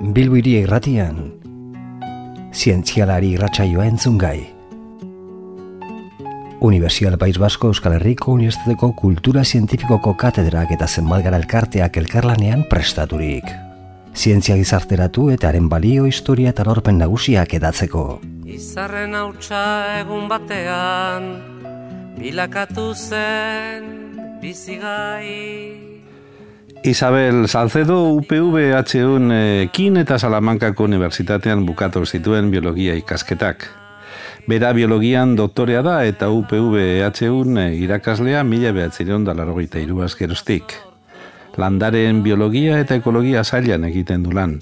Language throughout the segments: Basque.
Bilbo Hiria Irratian, zientzialari irratsaioa entzungai. Unibertsial País Basko Euskal Herriko Unibertsitateko Kultura Zientifikoko katedrak eta zenbat elkarteak elkarlanean prestaturik. Zientzia gizarteratu eta haren balio, historia eta lorpen nagusiak edatzeko. Izarren hautsa egun batean, bilakatu zen bizigai. Isabel Salcedo UPV-HUn Kin eta Salamankako Unibertsitatean bukatu zituen biologia ikasketak. Bera biologian doktorea da eta UPV-HUn irakaslea 1983 geroztik. Landaren biologia eta ekologia sailan egiten du lan.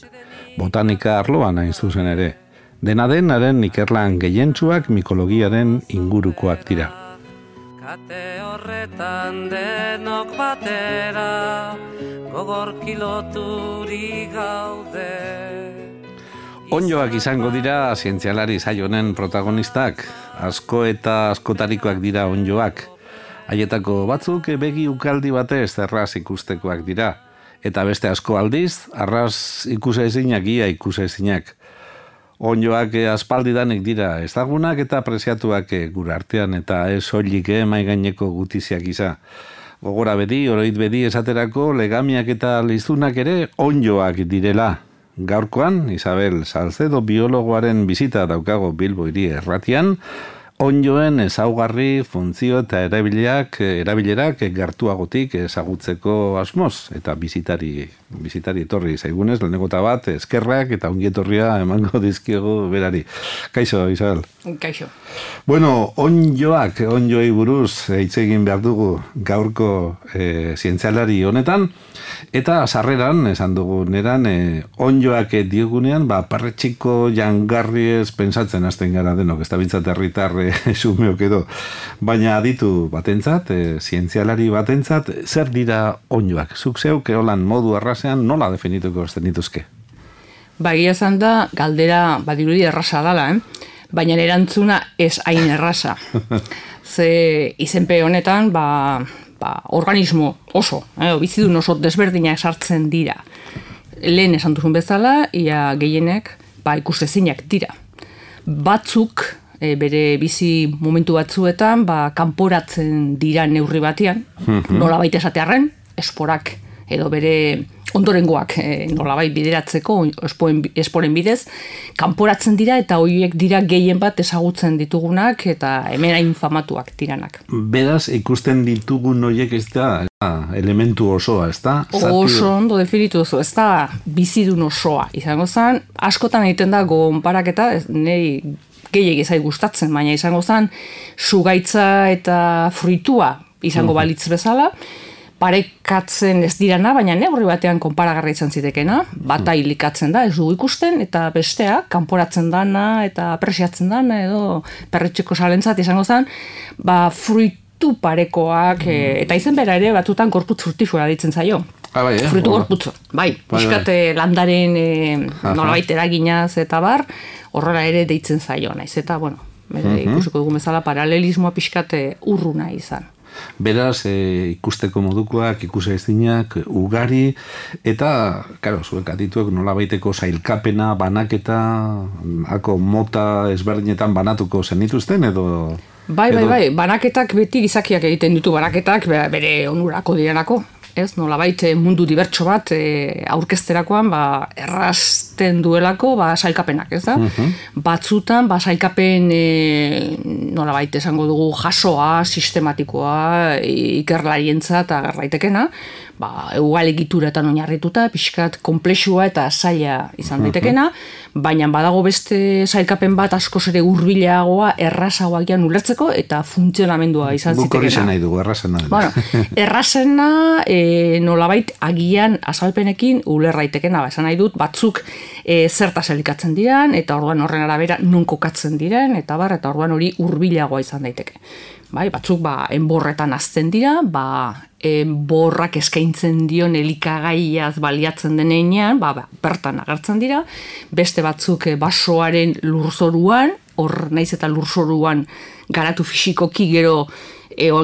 Botanika arloan hain zuzen ere. Dena den, haren ikerlan gehientsuak mikologiaren ingurukoak dira. Kate horretan denok batera, gogor kiloturi gaude. Onddoak izango dira zientzialari saio honen protagonistak, asko eta askotarikoak dira onddoak. Haietako batzuk begi ukaldi batez erraz ikustekoak dira, eta beste asko aldiz, arraz ikusezinak ia ikusezinak. Onddoak aspaldidanik dira ezagunak eta apresiatuak gure artean eta ez soilik mai gaineko gutiziak iza. Gogora bedi, oroit bedi esaterako legamiak eta lizunak ere onddoak direla. Gaurkoan, Isabel Salcedo biologoaren bizita daukago Bilbo Hiria Irratian, onddoen ezaugarri, funtzio eta erabilerak gertuagotik ezagutzeko asmoz eta bizitari etorri zaigunez, lehenengota bat, eskerrak eta ongietorria emango dizkiego berari. Kaixo, Isabel. Kaixo. Bueno, onddoei buruz hitz egin behar dugu gaurko zientzialari honetan, eta sarreran, esan dugu neran, onddoak diogunean, parretxiko jangarriez pensatzen hasten gara denok, ez da bintzat herritar sumeok edo. Baina aditu batentzat, zientzialari batentzat, zer dira onddoak? Zuk zeuk eolan modu arrasean nola definituko zenituzke? Egia esan da, galdera badirudi erraza dala, baina erantzuna ez hain erraza. Ze izenpe honetan, organismo oso, bizidun oso desberdinak sartzen dira. Lehen esan duzun bezala, ia gehienek ikusezinak dira. Batzuk, bere bizi momentu batzuetan, kanporatzen dira neurri batean, nolabait esatearren, esporak edo bere ondorengoak nolabait bideratzeko, esporen bidez, kanporatzen dira eta horiek dira gehien bat ezagutzen ditugunak eta hemen infamatuak diranak. Beraz, ikusten ditugun horiek ez da elementu osoa, ez da? Oso ondo definitu oso, ez da bizidun osoa. Izango zen, askotan egiten da gonparaketa, nahi gehiagik ezai gustatzen, baina izango zen, zugaitza eta fruitua izango balitz bezala, parekatzen ez dirana, baina neurri batean konparagarra izan zitekena, bata hilikatzen da, ez dugu ikusten, eta bestea, kanporatzen dana, eta apresiatzen dana, edo perretxeko salentzat izango zen, fruitu parekoak, eta izen bera ere, batutan gorputz frutifua ditzen zaio. Fruitu gorputzo, piskate landaren nolabait eraginaz eta bar, horrela ere deitzen zaio, naiz, eta, ikusiko dugu bezala, paralelismoa piskate urruna izan. Beraz, ikusteko modukoak, ikusezinak, ugari, eta, zuek adituek nolabaiteko sailkapena, banaketa, mota ezberdinetan banatuko zenituzten, edo... Bai, banaketak beti gizakiak egiten ditu, banaketak bere onurako direnako. Ez, nolabait mundu dibertso bat aurkezterakoan errazten duelako sailkapenak, ez da? Batzutan sailkapen nolabait esango dugu jasoa, sistematikoa, ikerlarientzat agarraitekena, egualegituratan oinarrituta, pixkat komplexua eta zaila izan daitekena, baina badago beste sailkapen bat askoz ere hurbilagoa, errazagoak jan ulertzeko eta funtzionamendua izan zitekena. Guk hori zen nahi dugu, errazena. Errazena nolabait agian azalpenekin ulerraitekena, esan nahi dut, batzuk zertaz elikatzen diren, eta orduan horren arabera non kokatzen diren, eta orduan hori hurbilagoa izan daiteke. Batzuk enborretan azten dira, enborrak eskaintzen dion elikagaiaz baliatzen denean, bertan agertzen dira, beste batzuk basoaren lurzoruan, hor naiz eta lurzoruan garatu fisikoki gero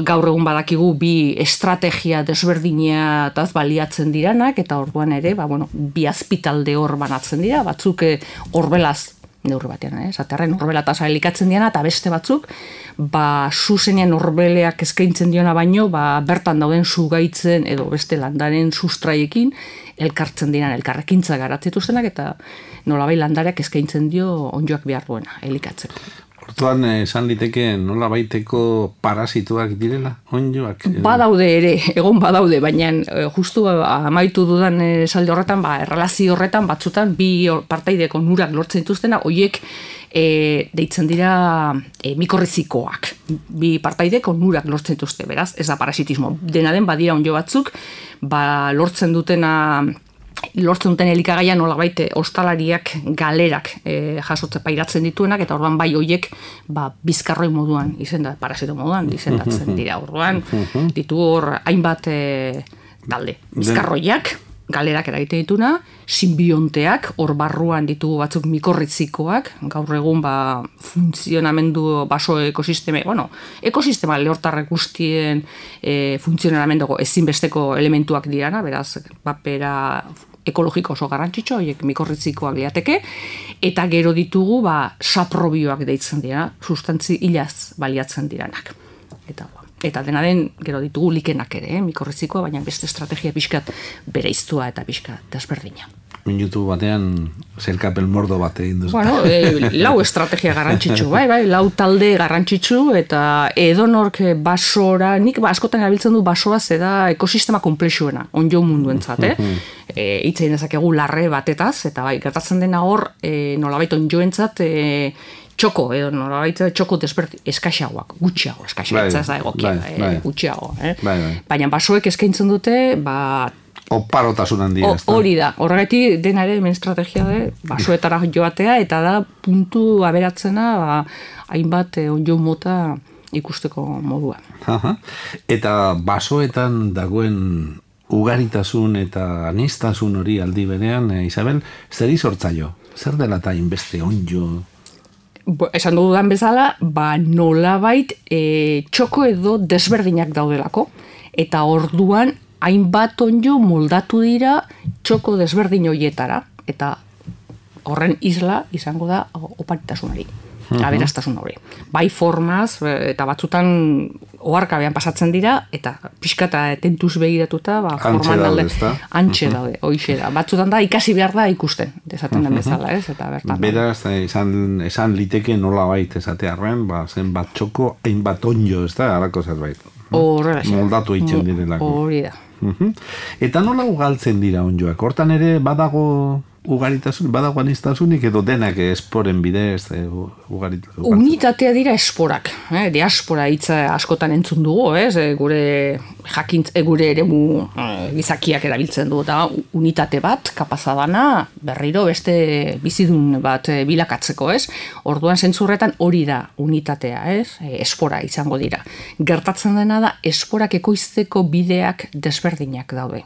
gaur egun badakigu bi estrategia desberdina taz baliatzen diranak, eta orduan ere, bi azpitalde hor banatzen dira, batzuk horbelaz neurri batean, esaterren horbela tasa elikatzen diana, eta beste batzuk, zuzenean horbeleak eskaintzen diona baino, bertan dauden zugaitzen edo beste landaren sustraiekin elkartzen diran, elkarrekintza garatzetuztenak, eta nolabai landareak eskaintzen dio ondjoak behar duena, elikatzeko. Orduan, esan liteke nola baiteko parasituak direla, ondjoak? Badaude ere, egon badaude, baina justu amaitu dudan esaldi horretan, errelazio horretan, batzutan, bi partaideko onurak lortzen dituztena, hoiek deitzen dira mikorrizikoak. Bi partaideko onurak lortzen dituzte, beraz, ez da parasitismo. Dena den, badira ondjo batzuk, lortzen duten elikagaia nolabait ostalariak galerak jasotze pairatzen dituenak, eta orduan bai hoiek bizkarroi moduan parasito moduan izendatzen dira. Orduan ditu hor hainbat talde. Bizkarroiak galerak eragiten dituna, simbionteak, hor barruan ditugu batzuk mikorrizikoak, gaur egun funtzionamendu baso ekosistema, ekosistema lehortarrek guztien funtzionamenduko ezinbesteko elementuak dirana, beraz, papera ekologiko oso garrantzitsua, horiek mikorrizikoak liateke, eta gero ditugu saprobioak deitzen dira, sustantzi hilaz baliatzen diranak. Eta dena den, gero ditugu likenak ere, mikorrizikoa, baina beste estrategia pixkat bereiztua eta pixkat desberdina. Minutu batean zelkapen mordo bat egin duzu. Lau estrategia garrantzitsu, lau talde garrantzitsu, eta edonork basora, nik askotan erabiltzen du basoa zeda ekosistema komplexuena, onjo munduentzat, hitzein dezakegu larre batetaz, eta gertatzen dena hor, nolabait onjoentzat, txoko, edo nolabait txoko eskaxagoak, gutxiago gutxiago. Baina basoek eskaintzen dute, oparotasun handia. Hori da, horregatik dena ere hemen estrategia basoetara joatea, eta da puntu aberatzena hainbat onjo mota ikusteko modua. Eta basoetan dagoen ugaritasun eta aniztasun hori aldi berean, Isabel, zer izortzaio? Zer dela eta inbeste onjo? Esan dudan bezala, nolabait txoko edo desberdinak daudelako, eta orduan hainbat onjo moldatu dira txoko desberdin horietara, eta horren isla izango da oparitasunari, aberastasun hori. Bai formaz, eta batzutan oharkabean pasatzen dira, eta pixkata tentuz begiratuta, forman alde, antxe daude, hoixe da. Batzutan da, ikasi behar da ikusten, desaten den bezala, ez? Eta bertan. Beraz, esan liteke nola bait esatearren, zen bat txoko, hainbat onjo, ez da, harako zerbait. Moldatu itxen direlako. Hori da. Eta nola ugaltzen dira onjoak? Hortan ere badago ugaritasun, badago aniztasunik edo denak esporen bidez ugaritasun? Unitatea dira esporak. Diaspora hitza askotan entzun dugu, gure eremu gizakiak erabiltzen du, eta unitate bat, kapazadana, berriro beste bizidun bat bilakatzeko, Orduan zentzurretan hori da unitatea, espora izango dira. Gertatzen dena da, esporak ekoizteko bideak desberdinak daude.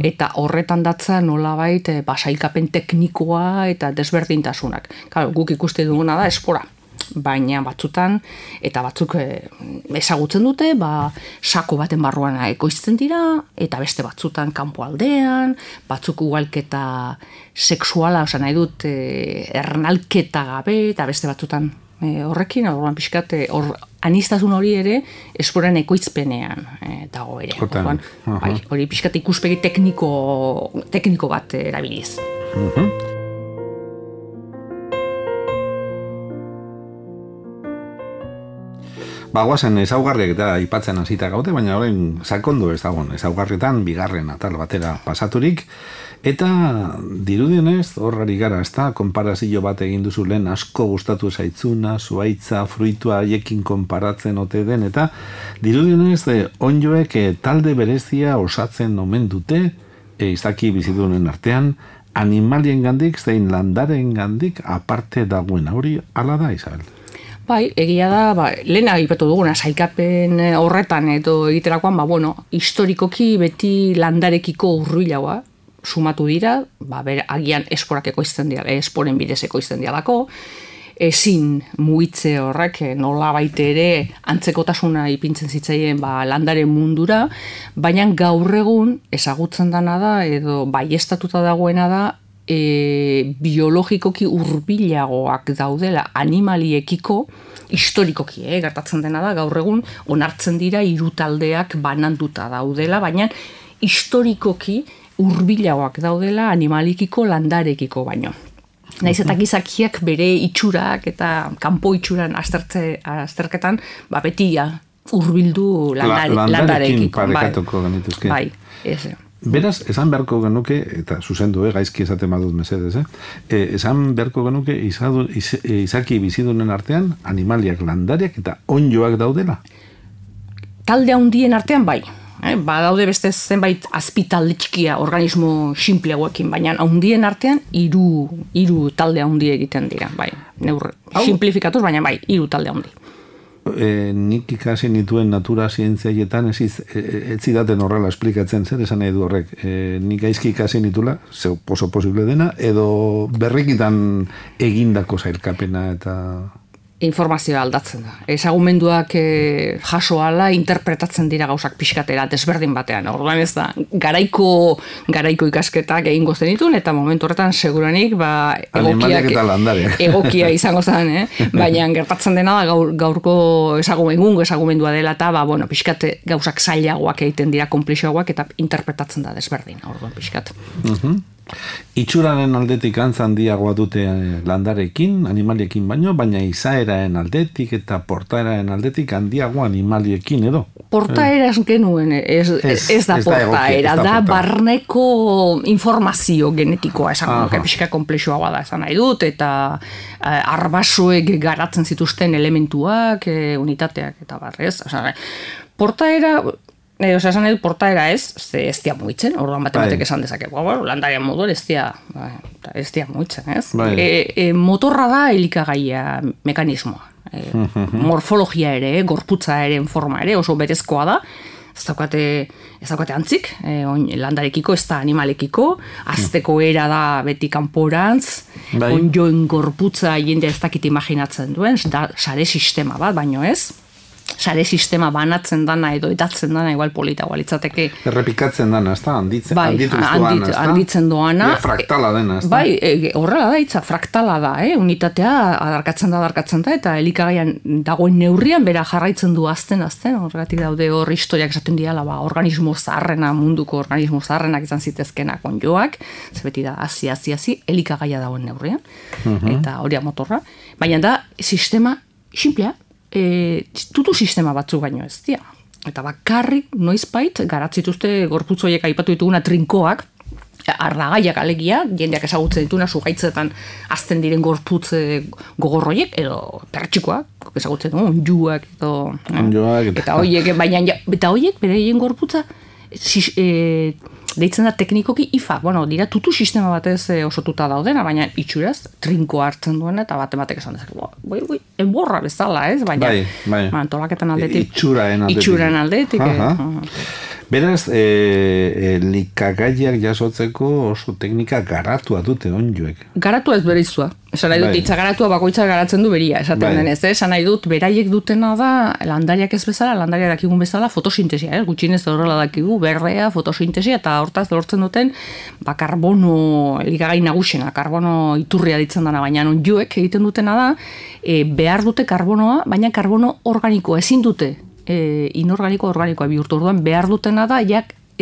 Eta horretan datza nolabait basailkapen teknikoa eta desberdintasunak. Guk ikuste duguna da espora. Baina batzutan, eta batzuk ezagutzen dute, sako baten barruan ekoizten dira, eta beste batzutan kanpo aldean, batzuk ugalketa sexuala, nahi dut, ernalketa gabe, eta beste batzutan horrekin, orduan pixkat, aniztasun hori ere esporen ekoizpenean dago ere. Hori pixkat ikuspegi tekniko bat erabiliz. Guazen ezaugarriak eta aipatzen hasita gaude, baina orain sakondu ezaugarrietan bigarren atal batera pasaturik, eta dirudienez, horrari gara, konparazio bat egin duzu lehen asko gustatu zaitzuna, zuaitza, fruitua haiekin konparatzen ote den, eta dirudienez, onjoek talde berezia osatzen omen dute, izaki bizidunen artean, animalien gandik, zein landaren gandik, aparte dagoen hori, ala da, Isabel? Bai, egia da, lehen aipatu duguna, sailkapen horretan edo egiterakoan, historikoki beti landarekiko urruilagoa sumatu dira, agian esporak ekoizten dira, esporen bidez ekoizten diralako, ezin mugitze horrek nola baite ere antzekotasuna ipintzen zitzaien landaren mundura, baina gaur egun ezagutzen dana da edo baiestatuta dagoena da biologikoki hurbilagoak daudela animaliekiko historikoki, gertatzen dena da, gaur egun onartzen dira hiru taldeak bananduta daudela, baina historikoki hurbilagoak daudela animalikiko landarekiko baino. Naiz eta gizakiak bere itxurak eta kanpo itxuran azterketan, beti hurbildu landarekin parekatuko genituzke. Bai, ez. Beraz, esan beharko genuke, eta zuzendu, gaizki esaten badut mesedez, esan beharko genuke izaki bizidunen artean animaliak, landariak eta onjoak daudela? Talde handien artean bai. Badaude beste zenbait azpitalde txikia organismo sinpleagoekin, baina handien artean hiru talde handi egiten dira, bai. Simplifikatuz, baina bai, hiru talde handi. Nik ikasi nituen natura zientziaietan ez zidaten horrela esplikatzen, zer esan nahi du horrek. Nik gaizki ikasi nitula, oso posible dena, edo berrikitan egindako zailkapena eta... Informazioa aldatzen da. Ezagumenduak jaso ala interpretatzen dira gauzak pixkatera desberdin batean. Orduan ez da, garaiko ikasketak egingo zenitun, eta momentu horretan seguranik egokia izango zen, baina gertatzen dena da gaurko ezagumendua dela, eta pixkate gauzak zailagoak egiten dira, konplexoagoak, eta interpretatzen da desberdin. Orduan pixkat. Itxuraren aldetik antza handiagoa dute landarekin, animaliekin baina izaeraen aldetik eta portaeraen aldetik handiagoa animaliekin edo. Portaera genuen, ez da portaera, da barneko informazio genetikoa esan, pixka komplexoagoa da esan nahi dut, eta arbasoek garatzen zituzten elementuak, unitateak eta barrez. Portaera... esan nahi dut portaera ez dia mugitzen, orduan batek esan dezake, landarian moduan ez dia mugitzen, ez? Motorra da elikagaia mekanismoa. Morfologia ere, gorputza ere, forma ere, oso berezkoa da, ez daukate antzik, landarekiko, ez da animalekiko, azteko era da beti kanporantz, onjoen gorputza jende ez dakit imaginatzen duen, da sare sistema bat, baino ez? Sare sistema banatzen dana edo edatzen dana igual politagoa litzateke. Errepikatzen dana, ez da? Handitzen doana. Fraktala dena, ez da? Bai, horrela da, itza, fraktala da, unitatea adarkatzen da, eta elikagaian dagoen neurrian, bera jarraitzen du azten, horregatik daude hor historiak esaten diala, organismo zaharrena, munduko organismo zaharrenak izan zitezkenak onjoak, zebeti da, hazi, elikagaia dagoen neurrian, eta hori motorra, baina da, sistema simplea, tutu sistema batzu baino ez dira. Eta bakarrik noizbait garatzituzte gorputzoiek aipatu dituguna trinkoak, ardagaiak alegia, jendeak ezagutzen dituna sugaitzetan azten diren gorputz gogorroiek, edo pertxikoak, ezagutzen dugu, onjuak, eta horiek, eta horiek beraien gorputza deitzen da teknikoki IFA, dira tutu sistema batez osotuta daudena, baina itxuraz trinko hartzen duena, eta batek esan dezak, enborra bezala, ez? Baina, antolaketan aldetik. Itxuraen aldetik. Beraz, likagaiak jasotzeko oso teknika garatua dute onjoek. Garatua ez bereizua. Esan nahi dut, itza garatua bakoitza garatzen du beria, esaten denez, esan nahi dut, beraiek dutena da, landariak ez bezala, landariak dakigun bezala, fotosintesia, gutxinez horrela dakigu, berdea, fotosintesia, eta hortaz lortzen duten, karbono, elikagai nagusena, karbono iturria ditzen dana, baina onjoek egiten dutena da, behar dute karbonoa, baina karbono organikoa ezin dute, inorganikoa bihurtu, orduan behar dutena da,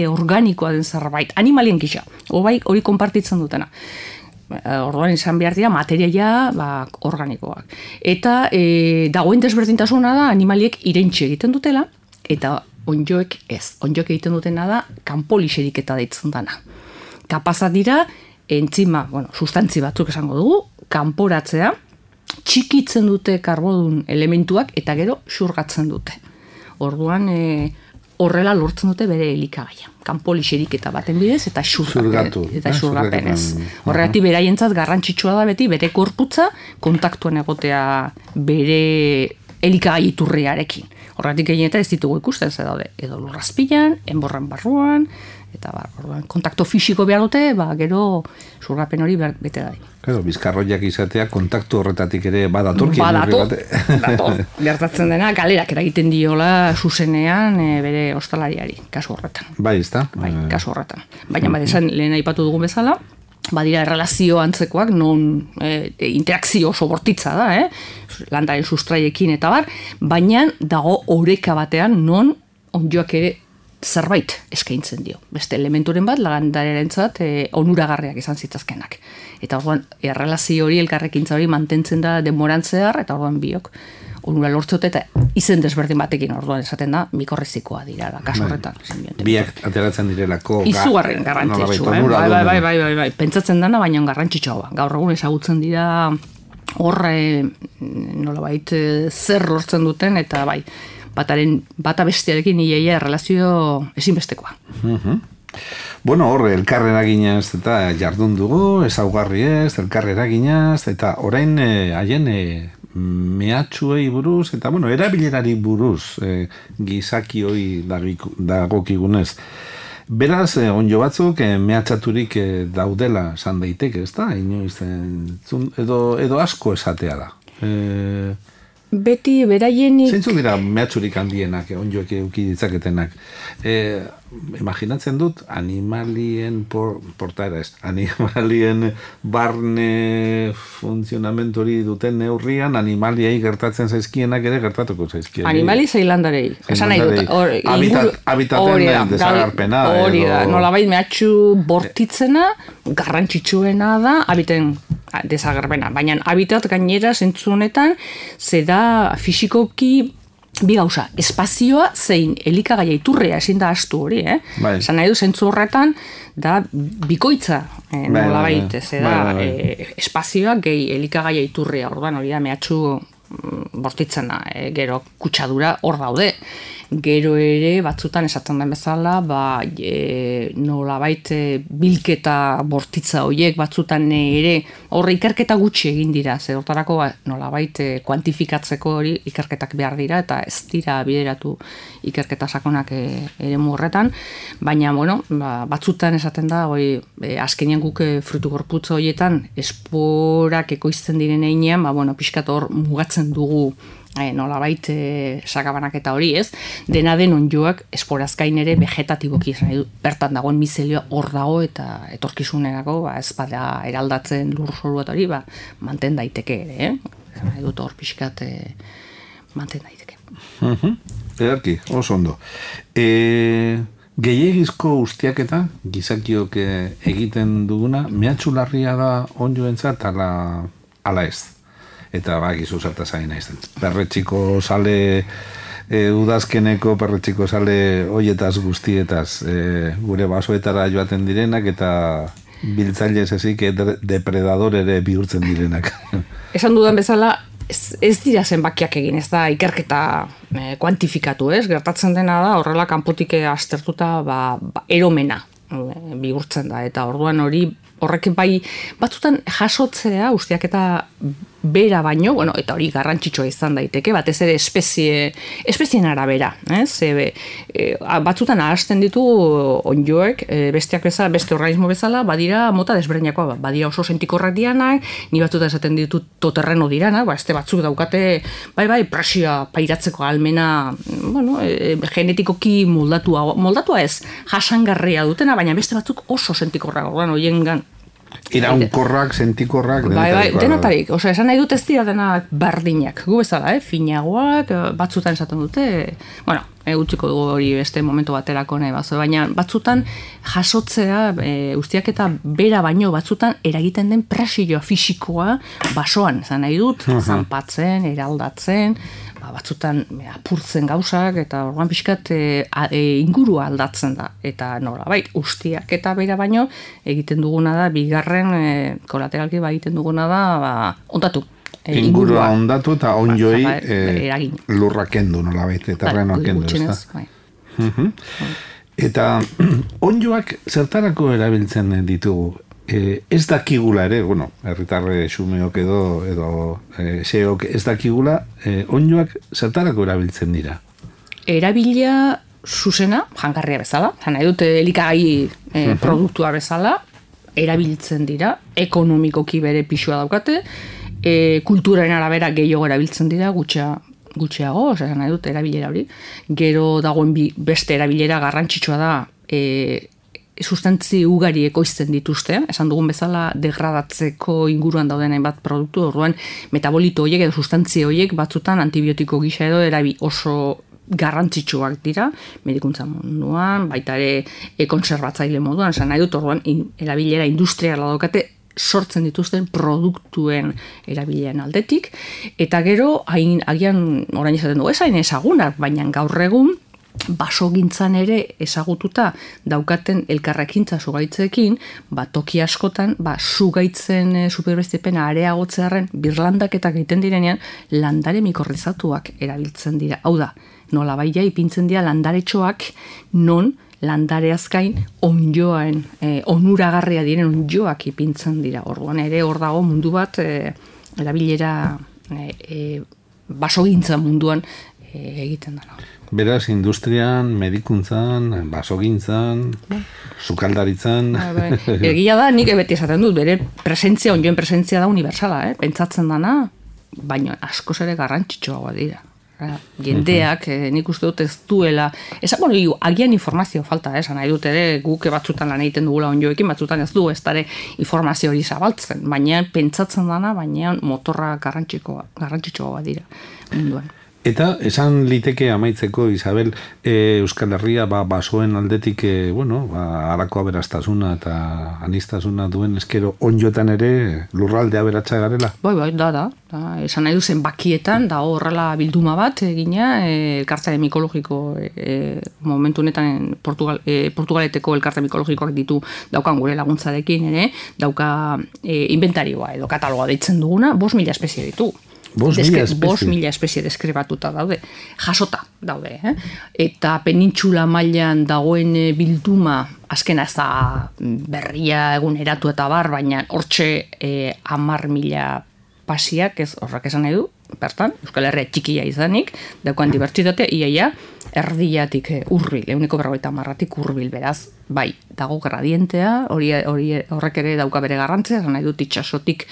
organikoa den zerbait, animalien gisa, hori konpartitzen dutena. Orduan izan behar dira materiaia organikoak. Eta dagoen desberdintasuna da animaliek irentxe egiten dutela, eta onjoek ez. Onjoek egiten dutena da kanpolixerik eta deitzen dana. Kapazat dira, entzima, sustantzi batzuk esango dugu, kanporatzea, txikitzen dute karbodun elementuak eta gero xurgatzen dute. Orduan horrela lortzen dute bere elikagaia. Kanpolixerik eta baten bidez eta xurgapenez. Horregatik beraientzat garrantzitsua da beti bere korputza kontaktuan egotea bere elikagai iturriarekin. Horregatik gehienetan ez ditugu ikusten ze daude edo lurrazpilan, enborran barruan, Eta kontakto fisiko behar dute, gero zurgapen hori bete da. Claro, bizkarroiak izatea kontaktu horretatik ere badatorki. Badator. Gertatzen dena, galerak eragiten diola zuzenean bere ostalariari, kasu horretan. Bai, ezta? Bai, kasu horretan. Baina esan lehen aipatu dugun bezala, badira erlazio antzekoak, non interakzio oso bortitza da, landaren sustraiekin eta bar, baina dago oreka batean non ondjoak ere zerbait eskaintzen dio. Beste elementuren bat, landarerentzat onuragarriak izan zitazkenak. Eta orduan, errelazio hori, elkarrekintza hori mantentzen da denborantzear, eta orduan biok onura lortzote eta izen desberdin batekin orduan esaten da, mikorrizikoa dira, kasu horretan. Biak ateratzen direlako. Izugarren garrantzitsua, bai. Pentsatzen dana, baina garrantzitsua. Gaur egun ezagutzen dira horre nolabait zer lortzen duten, eta bai, bata bestearekin iaia errelazio ezinbestekoa. Bueno, horre, elkar eraginaz eta jardun dugu, ezaugarri ez, elkar eraginaz, eta orain haien mehatxuei buruz, eta bueno, erabilerari buruz gizakioi dagokigunez. Beraz, onjo batzuk mehatxaturik daudela san daiteke, ez da? Inoiz, edo asko esatea da. Beti beraienik... Zeintzu dira mehatxurik handienak, onjoek euki ditzaketenak. Imaginatzen dut, animalien portaera ez, animalien barne funtzionamentori duten neurrian, animaliai gertatzen zaizkienak ere gertatuko zaizkienak. Animali zeilandarei. Esan nahi dut. Habitaten desagarpena. Hori da, nolabait mehatxu bortitzena, garrantzitsuena da, habiten desagerpena. Baina habitat gainera zentzu honetan, zeda fisikoki bi gauza, espazioa zein elikagaia iturria ezin da astu hori, Bai. Esan nahi du zentzu horretan, da bikoitza nolabait, zeda espazioa gehi elikagaia iturria, orduan hori da mehatxu bortitzena, gero kutsadura hor daude. Gero ere batzutan esaten den bezala, nolabait bilketa bortitza horiek batzutan ere horre ikerketa gutxi egin dira, ze hortarako nolabait kuantifikatzeko hori ikerketak behar dira eta ez dira bideratu ikerketa sakonak eremu horretan, baina bueno, batzutan esaten da azkenean guk frutu gorputz horietan esporak ekoizten diren einean, pixkat hor mugatzen dugu nolabait sakabanak eta hori, ez? Dena den onjoak esporaz gain ere vegetatiboki bertan dagoen mizelioa hor dago eta etorkizunerako ez bada eraldatzen lurzoru eta hori manten daiteke ere, Nahi dut hor pixkat manten daiteke. Ederki, oso ondo. Gehiegizko ustiaketa gizakiok egiten duguna, mehatxularria da onjoentzat ala ez? Eta gizu zertaz ari naizten. Perretxiko sale, udazkeneko perretxiko sale hoietaz guztietaz, gure basoetara joaten direnak eta biltzailez ezik depredador ere bihurtzen direnak. Esan dudan bezala, ez dira zenbakiak egin, ez da ikerketa kuantifikatu, ez? Gertatzen dena da, horrela kanpotik aztertuta eromena bihurtzen da, eta orduan horrek bai batzutan jasotzea ustiaketa bera baino, eta hori garrantzitsua izan daiteke, batez ere espezien arabera, batzutan ahazten ditu onjoek, besteak bezala, beste organismo bezala, badira mota desberdinekoa, badira oso sentikorrak dianak, ni batzutan esaten ditu toterreno diranak, este batzuk daukate, presioa pairatzeko almena, genetikoki moldatua ez, jasangarria dutena, baina beste batzuk oso sentikorrak, horiengan iraunkorrak, sentikorrak, denetarik, esan nahi dut ez dira denak bardinak, gu bezala, finagoak, batzutan esaten dute, utziko dugu hori beste momentu baterako nahi baina batzutan jasotzea, ustiak eta bera baino batzutan eragiten den presioa fisikoa basoan, esan nahi dut, zanpatzen, eraldatzen, batzutan apurtzen gauzak, eta orduan pixkat ingurua aldatzen da, eta nolabait, ustiak eta bera baino egiten duguna da, bigarren kolateralki egiten duguna da, ondatu. Ingurua ondatu eta onjoi lurra kendu nolabait, terrenoa kendu. Eta onjoak zertarako erabiltzen ditugu? Ez dakigula ere, herritarre xumeok edo xeok ez dakigula, onjoak zertarako erabiltzen dira? Erabila zuzena, jangarria bezala, nahi dute elikagai produktua bezala, erabiltzen dira, ekonomikoki bere pixua daukate, kulturaren arabera gehiago erabiltzen dira, gutxiago, nahi dute erabilera hori. Gero dagoen beste erabilera garrantzitsua da, sustantzi ugari ekoizten dituzte, esan dugun bezala degradatzeko inguruan dauden hainbat produktu, orduan metabolito horiek edo sustantzi horiek batzutan antibiotiko gisa edo oso garrantzitsuak dira, medikuntza munduan, baita ere konserbatzaile moduan, esan nahi dut, orduan erabilera industriala daukate sortzen dituzten produktuen erabilean aldetik, eta gero, agian orain esaten du, ez hain ezagunak, baina gaur egun, basogintzan ere ezagututa daukaten elkarrekintza sugaitzeekin, toki askotan, sugaitzen superbestipena areagotzearen birlandaketak egiten direnean, landare mikorrizatuak erabiltzen dira. Hau da, nola baia ipintzen dira landaretxoak non landare azkain onjoaen, onuragarria diren onjoak ipintzen dira. Orduan ere hor dago mundu bat erabilera basogintza munduan egiten dena. Beraz, industrian, medikuntzan, basogintzan, sukaldaritzan... Egia da, nik beti esaten dut, bere presentzia, onjoen presentzia da universala, pentsatzen dana, baina askoz ere garrantzitsuagoa dira. Jendeak, nik uste dut ez duela, agian informazio falta, nahi dut ere guk batzutan lan egiten dugula onjoekin, batzutan ez du, ez dara informazio hori zabaltzen, baina pentsatzen dana, baina motorra garrantzitsuagoa dira munduan. Eta esan liteke amaitzeko, Isabel, Euskal Herria basoen aldetik, harako aberastasuna eta anistasuna duen eskero onjoetan ere lurralde aberatsa garela? Bai, da. Esan nahi duzen bakietan, da horrela bilduma bat egina, elkartzaile mikologiko momentu honetan Portugaleteko elkarte mikologikoak ditu daukan gure laguntzarekin ere, dauka inventarioa edo kataloga deitzen duguna, 5.000 espezie ditu. 5.000 espezie deskribatuta daude, jasota daude, eta penintxula mailan dagoen bilduma, azkena ez da berria eguneratu eta baina hortxe 10.000 pasiak, ez horrek esan nahi du, bertan, Euskal Herria txikia izanik, daukan dibertsitatea, iaia, erdiatik hurbil, 150 hurbil, beraz, bai, dago gradientea, horrek ere dauka bere garrantzia, esan nahi dut itxasotik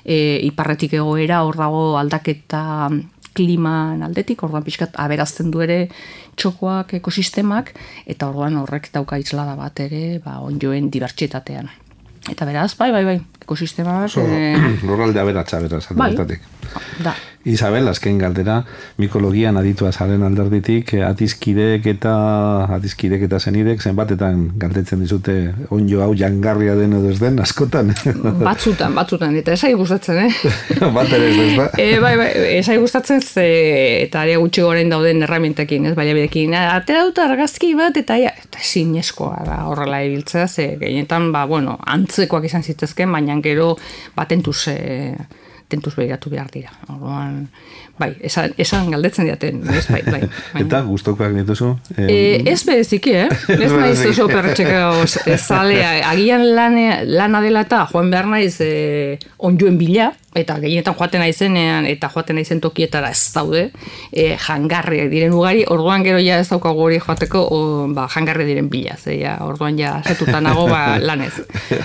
iparretik egoera, hor dago aldaketa kliman aldetik, orduan pixkat aberazten du ere txokoak, ekosistemak, eta orduan horrek dauka islada bat ere, onjoen dibertsitatean. Eta beraz, bai, ekosistemak... Lurralde aberatsa, beraz, aldetatik. Da. Isabel, azken galdera, mikologian aditua zaren alderditik, atizkidek eta zenidek, zenbatetan galdetzen dizute onjo hau jangarria den edo ez den, askotan? Batzutan, eta esai gustatzen, Bat ere ez da? Bai, esai gustatzen, eta ere gutxi goren dauden erramientekin, baliabidekin, atera dut argazki bat, eta zinezkoa da horrela ibiltzea, gehienetan, antzekoak izan zitezken, baina gero tentuz behiratu behar dira. Orduan, bai, esan galdetzen diaten, bai. Eta gustokoak dituzu? Ez bereziki, Ez naiz oso perretxeko zalea. Agian lana dela eta joan behar naiz onjoen bila, eta gehienetan joaten naizenean, eta joaten naizen tokietara ez daude, jangarriak diren ugari, orduan gero ja ez daukagu hori joateko, jangarri diren bila, orduan ja setutan nago lanez.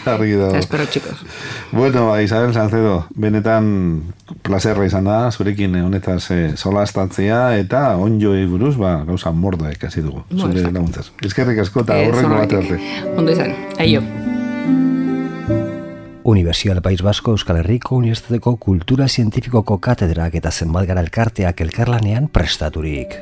Argi dago. Espero, txikos. Bueno, Isabel Salcedo, benetan plazerra izan da, zurekin honetaz solastatzea, eta onjoei buruz, gauza mordoa ikasi dugu, zure laguntzaz. Eskerrik asko eta horrengo bat arte. Ondo izan, aio. Universidad del País Vasco Euskal Herriko Unibertsitateko Kultura Zientifikoko katedrak eta zenbat gara elkarteak elkarlanean prestaturik.